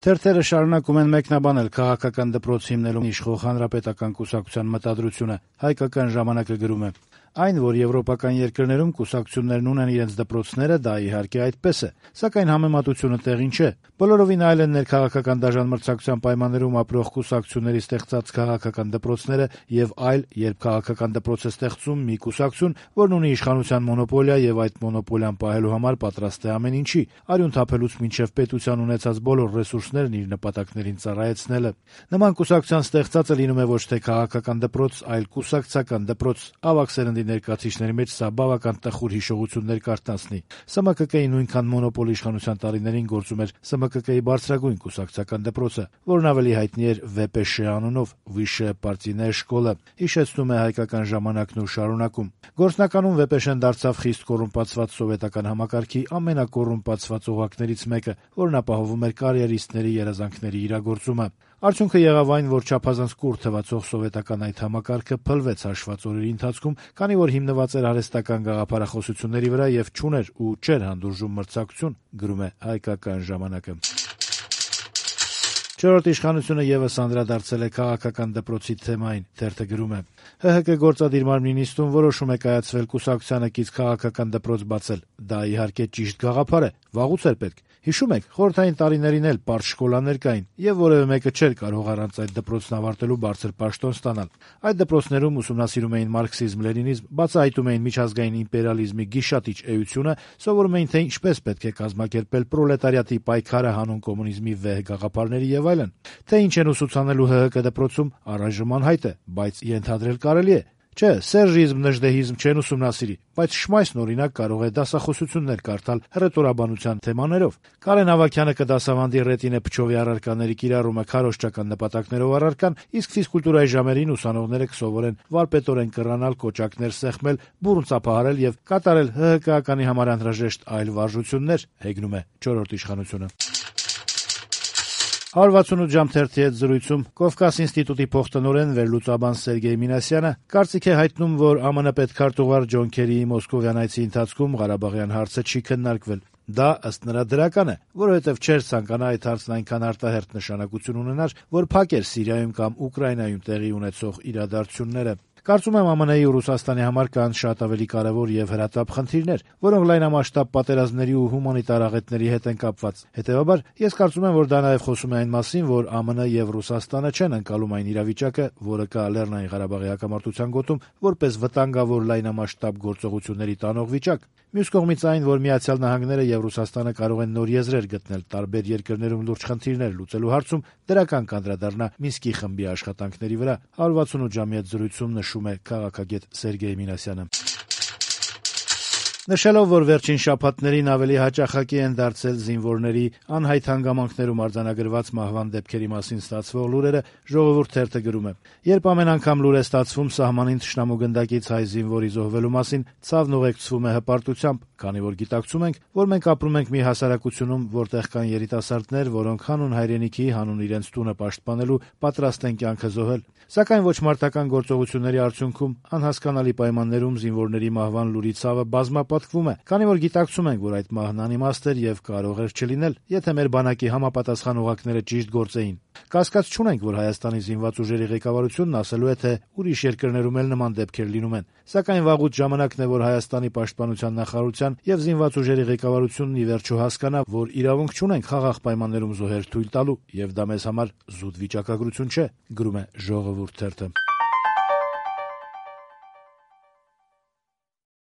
Թերթերը շարունակում են մեկնաբանել քաղաքական դպրոց հիմնելու իշխող հանրապետական կուսակցության մտադրությունը։ Հայկական ժամանակը գրում է. Այն, որ եվրոպական երկրներում կուսակցություններն ունեն իրենց դպրոցները, դա իհարկե այդպես է, սակայն համեմատությունը տեղին չէ։ Բոլորովին այլ են ներքաղաքական դաժան մրցակցության պայմաններում ապրող կուսակցությունների ստեղծած քաղաքական դպրոցները եւ այլ, երբ քաղաքական դպրոց է ստեղծում մի կուսակցություն, որն ունի իշխանության մոնոպոլիա եւ այդ մոնոպոլիան պահելու համար պատրաստ է ամեն ինչի, արյուն թափելուց մինչեւ պետության ունեցած բոլոր ռեսուրսներն իր նպատակներին ծառայեցնելը։ Նման կուսակցության ստեղծածը լինում է ոչ թե քաղաքական դպրոց, այլ կուսակցական դպրոց։ Ավագ սերնդի ներկայացիչների մեջ սա բավական տխուր հիշողություններ կարտացնի։ ՍՄԿԿ-ի նույնքան մոնոպոլ իշխանության տարիներին գործում էր ՍՄԿԿ-ի բարձրագույն կուսակցական դպրոցը, որն ավելի հայտնի էր ՎՊՇ անունով, Վիշե պարտիներ շկոլը, հիշեցնում է Հայկական ժամանակն ու շարունակում։ Գործնականում ՎՊՇ-ն դարձավ խիստ կոռումպացված սովետական համակարգի ամենակոռումպացված օղակներից մեկը, որն ապահովում էր կարիերիստների երազանքների իրագործումը։ Արդյունքը եղավ այն, որ չափազանց կուռ թվացող սովետական այդ համակարգը փլվեց հաշված օրերի ընթացքում, քանի որ հիմնված էր արհեստական գաղափարախոսությունների վրա եւ չուներ ու չէր հանդուրժում մրցակցություն, գրում է Հայկական ժամանակը։ Չորրորդ իշխանությունը եւս անդրադարձել է քաղաքական դպրոցի թեմային։ Թերթը գրում է. ՀՀԿ գործադիր մարմնի նիստում որոշում է կայացվել կուսակցությանը կից քաղաքական դպրոց բացել։ Դա իհարկե ճիշտ գաղափար է, վաղուց էր պետք։ Հիշում եք, խորհրդային տարիներին էլ պարզ շկոլաներ կային, եւ որեւէ մեկը չէր կարող առանց այդ դպրոցն ավարտելու բարձր պաշտոն ստանալ։ Այդ դպրոցներում ուսումնասիրում էին մարքսիզմ-լենինիզմ, բացահայտում էին միջազգային իմպերիալիզմի գիշատիչ էությունը, սովորում էին, թե ինչպես պետք է կազմակերպել պրոլետարիատի պայքարը հանուն կոմունիզմի վեհ գաղափարների եւ այլն։ Թե ինչ են ուսուցանելու ՀՀԿ դպրոցում, առայժմ անհայտ է, բայց ենթադրել կարելի է։ Չէ, սերժիզմ, նժդեհիզմ չեն ուսումնասիրի, բայց Շմայսն օրինակ կարող է դասախոսություններ կարդալ հռետորաբանության թեմաներով։ Կարեն Ավագյանը կդասավանդի Ռետինե Փչովի առարկաների կիրառումը քարոզչական նպատակներով առարկան, իսկ ֆիզկուլտուրայի ժամերին ուսանողները կսովորեն վարպետորեն կռանալ, կոճակներ սեղմել, բուռն ծափահարել եւ կատարել ՀՀԿ-ականի համար անհրաժեշտ այլ վարժություններ, հեգնում է չորրորդ իշխանությունը։ 168 ժամ թերթի հետ զրույցում Կովկաս ինստիտուտի փոխտնօրեն վերլուծաբան Սերգեյ Մինասյանը կարծիք է հայտնում, որ ԱՄՆ պետքարտուղար Ջոն Քերիի մոսկովյան այցի ընթացքում Ղարաբաղյան հարցը չի քննարկվել։ Դա ըստ նրա դրական է, որովհետև չէր ցանկանա այդ հարցն այնքան արտահերթ նշանակություն ունենար, որ փակեր Սիրիայում կամ Ուկրաինայում տեղի ունեցող իրադարձությունները։ Կարծում եմ ԱՄՆ-ի ու Ռուսաստանի համար կան շատ ավելի կարևոր եւ հրատապ խնդիրներ, որոնք լայնամասշտաբ պատերազմների ու հումանիտար աղետների հետ են կապված։ Հետեւաբար, ես կարծում եմ, որ դա նաեւ խոսում է այն մասին, որ ԱՄՆ եւ Ռուսաստանը չեն ընկալում այն իրավիճակը, որը կա Լեռնային Ղարաբաղի հակամարտության գոտում, որպես վտանգավոր լայնամասշտաբ գործողությունների տանող վիճակ։ Մյուս կողմից այն, որ Միացյալ Նահանգները եւ Ռուսաստանը կարող են նոր եզրեր գտնել տարբեր երկրներում լուրջ խնդիրներ լուծելու հարցում, դրական կանդրադառնա Մինսկի խմբի աշխատանքների վրա։ 168 ժամի հետ զրույցում նշում է քաղաքագետ Սերգեյ Մինասյանը։ Նշելով, որ վերջին շաբաթներին ավելի հաճախակի են դարձել զինվորների անհայտ հանգամանքներում արձանագրված մահվան դեպքերի մասին ստացվող լուրերը, Ժողովուրդ թերթը գրում է. երբ ամեն անգամ լուր է ստացվում սահմանին թշնամու գնդակից հայ զինվորի զոհվելու մասին, ցավն ուղեկցվում է հպարտությամբ, քանի որ գիտակցում ենք, որ մենք ապրում ենք մի հասարակությունում, որտեղ կան երիտասարդներ, որոնք հանուն հայրենիքի, հանուն իրենց տունը պաշտպանելու պատրաստ են կյանքը զոհել։ Սակայն ոչ մարտական գործողությունների արդյունքում անհասկանալի պայմաններում զինվորների մահվան լուրի ցավը բազմապատկվում է, քանի որ գիտակցում ենք, որ այդ մահն անիմաստ էր եւ կարող էր չլինել, եթե մեր բանակի համապատասխան օղակները ճիշտ գործեին։ Կասկած չունենք, որ Հայաստանի զինված ուժերի ղեկավարությունն ասելու է, թե ուրիշ երկրներում էլ նման դեպքեր լինում են։ Սակայն վաղուց ժամանակն է, որ Հայաստանի պաշտպանության նախարարության եւ զինված ուժերի ղեկավարությունն ի վերջո հասկանա, որ իրավունք չունենք խաղաղ պայմաններում զոհեր թույլ տալու, եւ դա մեզ համար զուտ վիճակագրություն չէ, գրում է Ժողովուրդ թերթը։